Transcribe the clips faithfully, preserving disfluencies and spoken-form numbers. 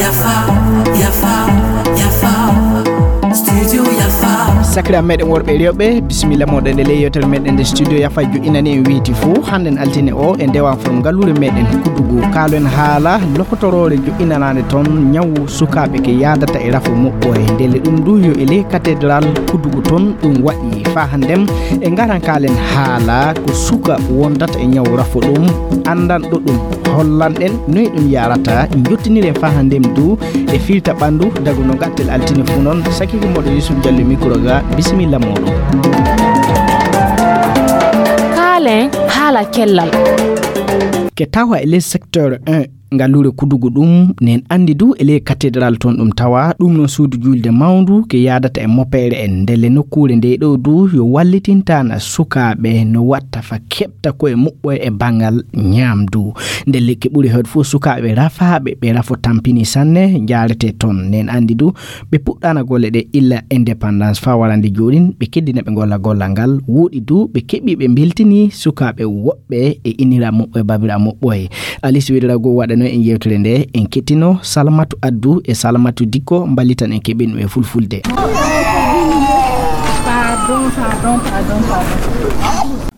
Yafa, yafa, yafa. Studio Yafa. Sakiraaɓe meɗen worɓe e rewɓe, bisimilla moɗon e ley yewtere meɗen nde Studio Yafa joɗɗinani en weeti fuu. Hannden altine o e ndewan from ngaluure meɗen Kudugu. Kaaloɗen haala lokotoroore joɗɗinanaande toon ñawu sukaaɓe ke yaadata e rafo moɓɓoye. Ndelle ɗum du yo e ley katedral Kudugu toon ɗum waɗi. Faa hannden e ngaran kaalen haala ko suka wondata e ñawu rafo ɗum, anndanɗo ɗum hollanɗen noy ɗum yarata, jottiniren faa hannden du e firta ɓanndu dagu no gattel altine fuu noon. Sakike moɗo Yusuf Jallo micro ga, bisimilla moɗon. Kaalen haala cellal. Ke tawa e ley secteur un, ngaluure Kudugu ɗum, nen anndi du e ley katedral toon ɗum tawa, ɗum noon suudu juulde mawndu ke yaadata e mopeere en. Ndelle nokkuure nde ɗo du yo wallitintana sukaaɓe no watta fa keɓta koye muɓɓoye e banngal ñaamdu. Ndelle ke ɓuri heewde fof sukaaɓe rafaaɓe, ɓe rafo tampini sanne, njaarete toon. Nen anndi du ɓe puɗɗaana golle ɗe illa indépendance faa warande jooɗin, ɓe keddina ɓe golla gollal ngal. Wooɗi du ɓe keɓi ɓe mbeltini sukaaɓe woɓɓe e innira moɓɓoye, babira moɓɓoye. Alis Wedera goo waɗano en yewtere nde, en kettino Salamatu Addu e Salamatu Dikko mballitan en keɓen ɗum e fulfulde.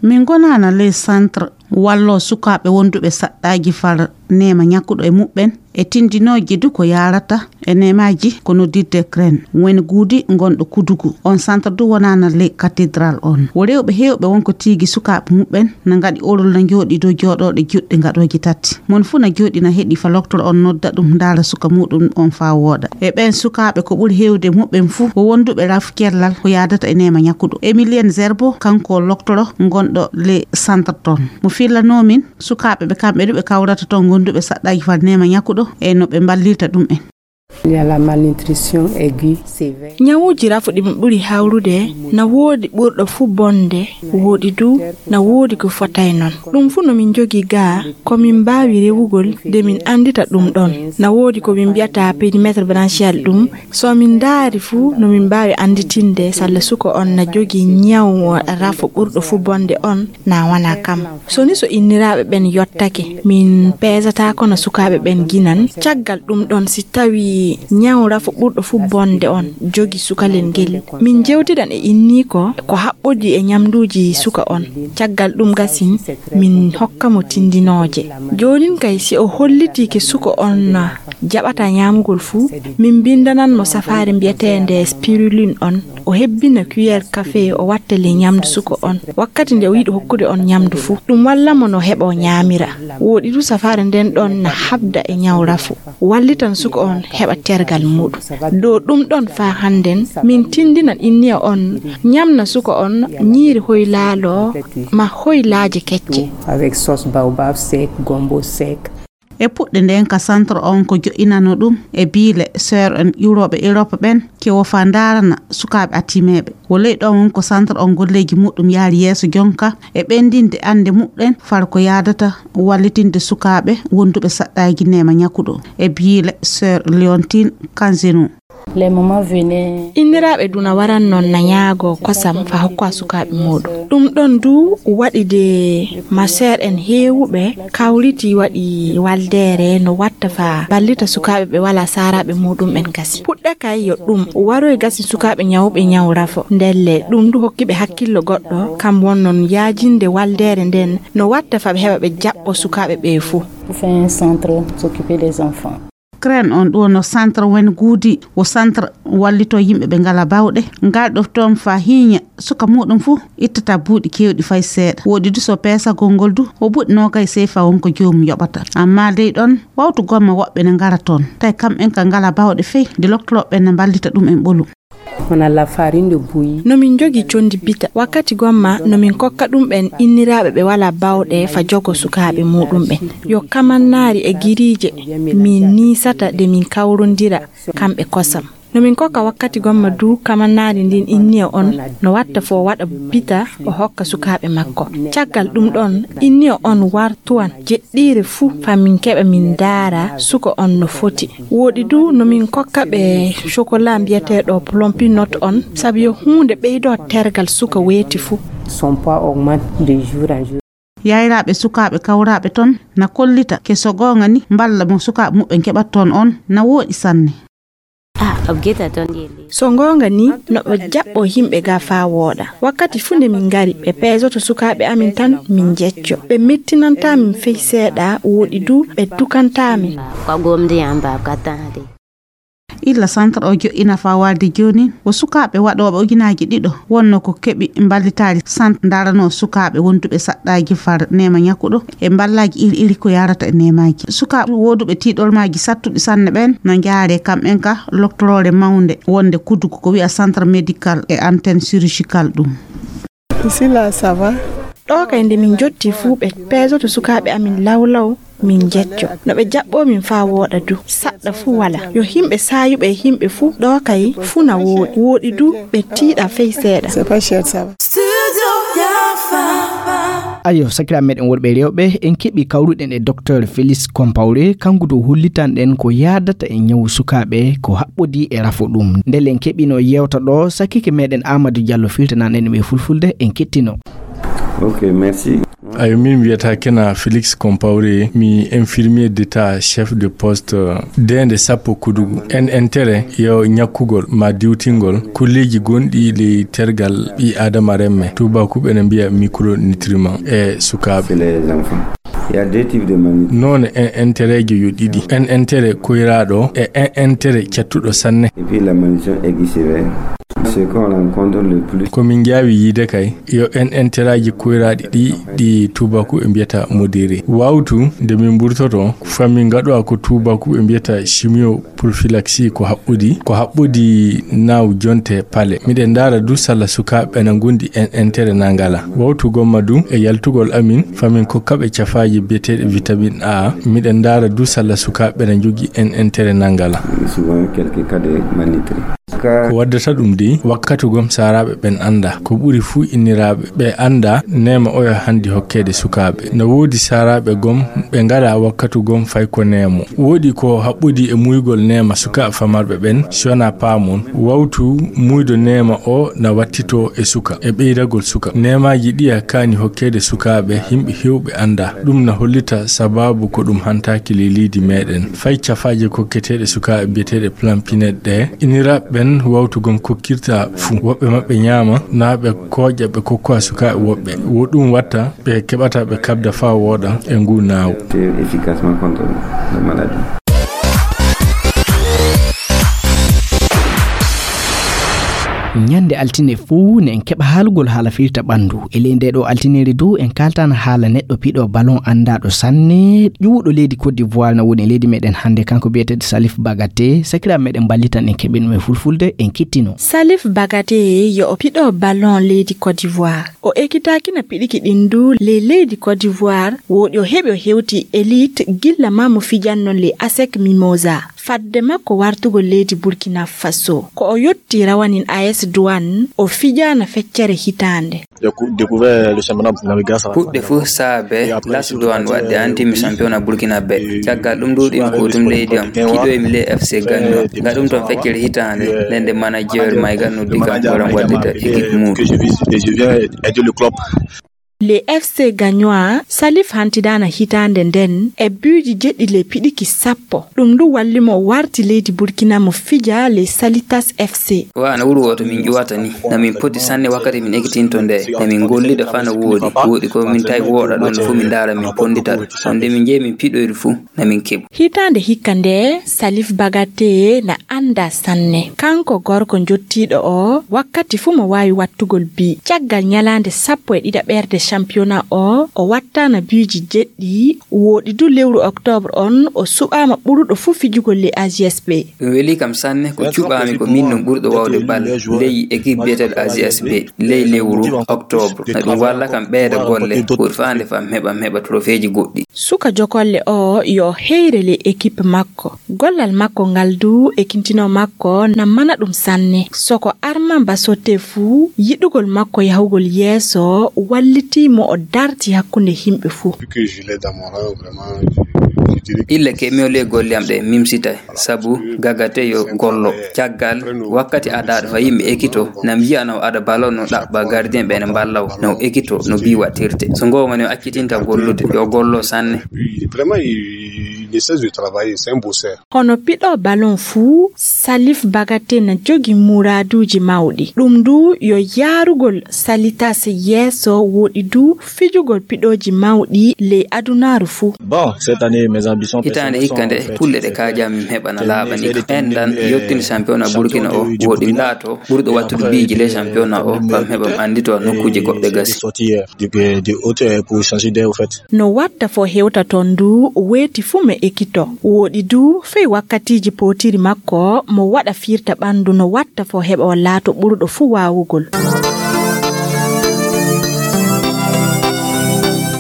Min gonaana ley centre wallo sukaaɓe wonduɓe saɗɗaaji far neema ñakkuɗo e muɓɓen e tindinooji du ko yaarata e neemaaji ko noddirte crène. Woni guudi ngonɗo Kudugu. On centre du wonaana ley cathédrale on. Wo rewɓe heewɓe wonko tiigi sukaaɓe muɓɓen na ngaɗi orol na njooɗi dow jooɗooɗe juɗɗe ngaɗooji tati. Mon fuu na jooɗi na heɗi fa loktoro on nodda ɗum ndaara suka muɗum on faa wooɗa. E ɓeen sukaaɓe ko ɓuri heewde muɓɓen fuu ko wonduɓe raf cellal ko yaadata e neema ñakkuɗo. Emilienne Zerbo kanko loktoro ngonɗo ley centre toon. Mo fillanoo min sukaaɓe ɓe kamɓe du ɓe kawrata toon gonduɓe saɗɗaaji far neema ñakkuɗo e no ɓe mballirta ɗum en. Il y a la malnutrition aiguë sévère. Ñawuuji rafuɗi mo ɓuri hawrude na woodi ɓurɗo fuu bonde, wooɗi du na woodi ko fotay noon. Ɗum fuu no min njogii gaa ko min mbaawi rewugol de min anndita ɗum ɗoon. Na woodi ko min mbiyata périmètre branchial, ɗum so min ndaari fuu no min mbaawi annditinde salla suko on na jogii ñaw rafo ɓurɗo fuu bonde on na wanaa kam. So ni so inniraaɓe ɓen yottake, min peesataako no sukaaɓe ɓen ginan. Caggal ɗum ɗon, si tawii ñaw rafo ɓurɗo fuu bonde on jogi sukalel ngel, min jewtidan e inniiko ko haɓɓodii e ñamduuji suka on. Caggal ɗum gasin, min hokka mo tindinooje. Joonin kay, si o hollitii ke suka on jaɓata ñaamugol fuu, min mbinndanan mo safaare mbiyeteende spiruline on. O hebbina cuillère café, o watta ley ñamdu suka on. Wakkati nde o yiɗi hokkude on ñamdu fuu, ɗum walla mo no heɓa o ñaamira. Wooɗi du safaare nden ɗon na habda e ñaw rafo. Wallitan suka on heɓa tergal muuɗum. Dow ɗum ɗon faa hannden, min tindinan inniya on ñamna suka on ñiiri hoylaalo ma hoylaaje kecce. Avec sauce baobab sec, gombo sec. E puɗɗe nden ka centre on ko jo'inano ɗum e biile sœur en ƴuurooɓe Europe ɓen ke wo faa ndaarana sukaaɓe atimeeɓe. Wo ley ɗon won ko centre on golleeji muɗum yaari yeeso jonka e ɓendinde annde muɗɗen far ko yaadata wallitinde sukaaɓe wonduɓe saɗɗaaji neema ñakuɗo e biile sœur Léontine Kanzeno. Les mamans venaient. Inniraaɓe duna waran noon na ñaagoo kosam fa hokka sukaaɓe muuɗum. Ɗum ɗon du waɗi de ma sœur en heewuɓe kawriti waɗi waldeere no watta fa ballita sukaaɓe ɓe walaa saaraaɓe muuɗum ɓen gasi. Puɗɗa kay yo ɗum waroy gasi sukaaɓe ñawɓe ñaw rafo. Ndelle ɗum du hokki ɓe hakkillo goɗɗo, kam won noon yaajinde waldeere nden no watta fa ɓe heɓa ɓe jaɓɓo sukaaɓe ɓe fuu. Pour faire un centre, s'occuper des enfants. Crène on ɗo no centre wen guudi, wo centre wallito yimɓe ɓe ngala bawɗe. Ngal ɗo toon fa hiiña suka muɗum fuu ittata buuɗi keewɗi fay seeɗa. Woɗi du so peesagol ngol du, o buuɗi noogay seefa won ko joomum yoɓata. Amma dey ɗon wawtu gomma woɓɓe ne ngara toon. Tawi kamɓen ka ngala bawɗe fey, de loktoroɓe ne mballita ɗum en ɓolu. On a la farine de bouillie. No min njogi condi bita. Wakkati gomma no min kokka ɗum ɓen inniraaɓe ɓe wala bawɗe fa jogo sukaaɓe muɗum ɓen. Yo kamannaari e giriije min niisata de min kawrondira kamɓe kosam. No min kokka wakkati gomma du kamannaari ndin inniya on no watta fo waɗa bita o hokka sukaaɓe makko. Caggal ɗum ɗon inniya on wartuwan jeɗɗiire fuu fa min keɓa min ndaara suka on no foti. Woɗi du no min kokka ɓe chocolat mbiyeteeɗo plumpy nut on sabu yo huunde ɓeydo tergal suka weeti fuu. Son poids augmente de jour en jour. Yayraaɓe sukaaɓe kawraaɓe toon na kollita ke so goonga ni mballa mo sukaaɓe muɓɓen keɓat toon on na wooɗi sanne. Ah, abgeta toon yeeli. So goonga ni, no ɓe jaɓɓo yimɓe ga faa wooɗa. Wakkati fuu nde min ngari, ɓe peesoto sukaaɓe amin tan, min njecco. Ɓe mettinantaa min fey seeɗa, wooɗi du, ɓe dukantaa min. Ko gomdi am ba ka tan de. Illa centre o joɗɗina faa waalde jooni, wo sukaaɓe waɗooɓe ujunaaji ɗiɗo wonno ko keɓi mballitaari. Centre ndaranoo sukaaɓe wonduɓe saɗɗaaji far neema ñakkuɗo e mballaaji iri iri ko yaarata e neemaaji. Sukaaɓe wooduɓe tiiɗolmaaji sattuɗi sanne ɓeen no njaaree kamɓen ka loktoroore mawnde wonde Kudugu ko wi'a centre médical et antenne chirurgicale ɗum. Ici là, ça va. Ɗo kay nde min njotti fuu ɓe peesoto sukaaɓe amin law law, min njecco. No ɓe jaɓɓoo min faa wooɗa du. Saɗɗa fuu wala. Yo yimɓe saayuɓe e yimɓe fuu ɗo kay fuu na wooɗi. Wooɗi du ɓe tiiɗa fey seeɗa. C'est pas cher, ça va. Ayo, sakiraaɓe meɗen worɓe e rewɓe, en keɓi kawruɗen e Docteur Félix Compaoré, kanko dow hollitanɗen ko yaadata e ñawu sukaaɓe, ko haɓɓodii e rafo ɗum. Ndelle en keɓino yeewta ɗo, sakike meɗen Amadou Diallo firtanan en ɗum e fulfulde, en kettino. Ok, merci. Ayo, min wiyata kena Félix Compaoré, mi infirmier d'état chef de poste, euh, deende sappo Kudugu. En intérêt yo ñakkugol ma diwtingol kulleeji gonɗi ley tergal ɓii Aadama remme, tuubakuɓe ene mbiya micronutriment e sukaaɓe. C'est les enfants. Il y a deux types de malnutrition. Noone en intérêt jo yo ɗiɗi. En intérêt koyraaɗo e en intérêt cattuɗo sanne. Et puis la malnutrition aiguë sévère. Ce qu'on rencontre le plus. Ko min njaawi yiide kay, yo en interaaji koyraaɗi ɗi, ɗi tuubaku ɓe mbiyata modéré. Wawtu, nde min mburtoto, fa min ngaɗowa ko tuubaku ɓe mbiyata chimioprophylaxie ko haɓɓodi, ko haɓɓodi naaw jonte pale. Miɗen ndaara du salla sukaaɓe ɓe na ngondi en intérêt na ngala. Wawtu gomma du e yaltugol amin, fa min kokka ɓe cafaaji biyeteeɗe vitamine A. Miɗen ndaara du salla sukaaɓe ɓe na njogii en intérêt na ngala. Souvent quelques cas de malnutrition. Ko waddata ɗum dey, wakkatu gom saaraaɓe ɓen anndaa. Ko ɓuri fuu inniraaɓe, ɓe anndaa neema oya handi hokkeede sukaaɓe. No woodi saaraaɓe gom, ɓe ngaraa wakkatu gom fay ko neemo. Wooɗi ko haɓɓodii e muygol neema sukaaɓe famarɓe ɓen, si wanaa paamon. Wawtu muydo neema o na wattitoo e suka, e ɓeydagol suka. Neemaaji ɗiya kaani hokkeede sukaaɓe, yimɓe heewɓe anndaa. Ɗum na hollita sabaabu ko ɗum hantaaki ley leydi meɗen. Fay cafaaje kokketeeɗe sukaaɓe biyeteeɗe Plan Pinette ɗe, inniraaɓe ɓen wawtu gom kokkirta fuu. Woɓɓe maɓɓe ñaama, naa ɓe kooƴa ɓe kokkowa sukaaɓe woɓɓe. Wo ɗum watta ɓe keɓata ɓe kaɓda faa wooɗa e nguu naawu. Efficacement contre la maladie. Ñande altine fuu ne en keɓa haalugol haala firta ɓanndu. E ley ndee ɗoo altineeri du, en kaaltaana haala neɗɗo piɗo ballon anndaaɗo sanne, ƴuwuɗo leydi Côte d'Ivoire na woni e leydi meɗen hannde, kanko biyeteeɗo Salif Bagate. Sakiraaɓe meɗen mballitan en keɓin ɗum e fulfulde, en kettino. Salif Bagate yo o piɗo ballon leydi Côte d'Ivoire. O ekitaaki na piɗiki ɗin du ley leydi Côte d'Ivoire, wooɗi o heɓi o hewti élite gilla maa mo fijannon ley ASEC Mimosa. Fadde makko wartugol leydi Burkina Faso, ko o yotti rawanin A S Douane, o fijaana feccere hitaande. Puɗɗe fof saabe Las Douane waɗde anti mi championnat Burkina Bay. Caggal ɗum ɗuuɗimi ko tum leydi am, kiɗoymi ley F C Gagnon. Ngaɗum toon feccere hitaande, nden nde manager Mayga noddi kam, waɗan waɗde ta équipe mum. Le F C Gagnoa, Salif hantidaana hitaande nden e buuji jeɗɗi ley piɗiki sappo. Ɗum du walli mo o warti leydi Burkina mo fija ley Salitas F C. Wa no wuro wooto min ƴuwata ni. Na min poti sanne wakkati min ekkitinto nde. Na min gollida faa no wooɗi. Wooɗi ko min tawi wooɗa ɗon fuu min ndaara min pondita. On nde min njehi min piɗoyri fuu na min keɓu. Hitaande hikka nde, Salif Bagate na anndaa sanne. Kanko gorko njottiiɗo o, wakkati fuu mo waawi wattugol bi. Caggal ñalaande sappo e ɗiɗaɓerde championnat o, o wattaana biiji jeɗɗi. Wooɗi du lewru octobre on, o suɓaama ɓuruɗo fuu fijugol ley A J S B. Ɗum weli kam sanne, ko cuɓaami ko min non ɓurɗo wawde bal ley équipe biyeteeɗo A J S B ley lewru octobre. Na ɗum walla kam ɓeyda golle, ɓuri faande fam heɓa, mi heɓa trophée ji goɗɗi. Suka jokolle o yo heyre ley équipe makko. Gollal makko ngal du e kintino makko na mana ɗum sanne. Soko Armand Basote fuu, yiɗugol makko yahugol yeeso wallitii mo o darti hakkunde yimɓe fuu. Ille ke mi oli e golle am ɗe mimsitay, sabu Gagate yo gollo. Caggal wakkati adaaɗo fa yimɓe ekito, na mbiyano aɗa balo no ɗaɓɓa gardien ɓe ne mballaw, no ekito no bi waɗtirte. So ngomani o accitinta gollude, yo gollo sanne. Vraiment, il, il essaie de travailler, c'est un bosseur. Hono piɗo ballon fuu, Salif Bagate na jogi muraaduuji mawɗi. Ɗum du yo yaarugol Salitas yeeso, woɗi du fijugol piɗooji mawɗi ley adunaaru fuu. Bon, cette année, mes ambitions Hitaande personnelles hikka sont nde, faites. Kulle ɗe kaajam mi heɓa na laaɓani kam. Enɗan yottini championnat Burkina o, woɗi laato ɓurɗo wattude biiji ley championnat o, fam heɓa mi anndito nokkuuji goɗɗe gasi. Sorti hier, de, de haute, euh, pour changer d'air, au fait. No watta fo hewta ton du, weeti fuu mi ekito. Woɗi du, fey wakkatiiji pootiri makko, mo waɗa firta ɓanndu, no watta fo heɓa o laato ɓurɗo fuu waawugol.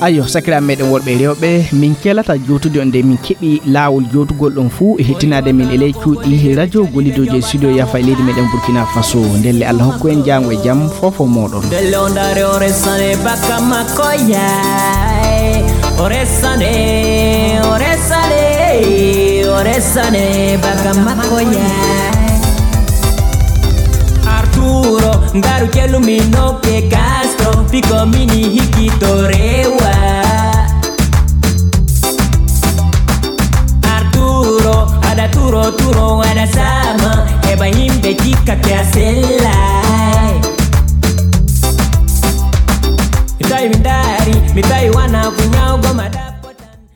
Ayo, sakiraaɓe meɗen worɓe e rewɓe, min kelata jowtude on nde min keɓi laawol jowtugol ɗon fuu e hettinaade min e ley cuuɗi radio gollidooji e studio Yafa e leydi meɗen Burkina Faso. Ndelle Allah hokku en jaango e jam, fofo mooɗon. Dellondare ore sane baka makoya. Ore sane, ore sane, ore sane baka makoya. Arturo, ngaru kelumi noke Castro, piko mini hiki torewa. Arturo, ada turo, turo, ada sama, eba himbe jika ke asela. Mitai mindari, mitai wana kunyao goma da.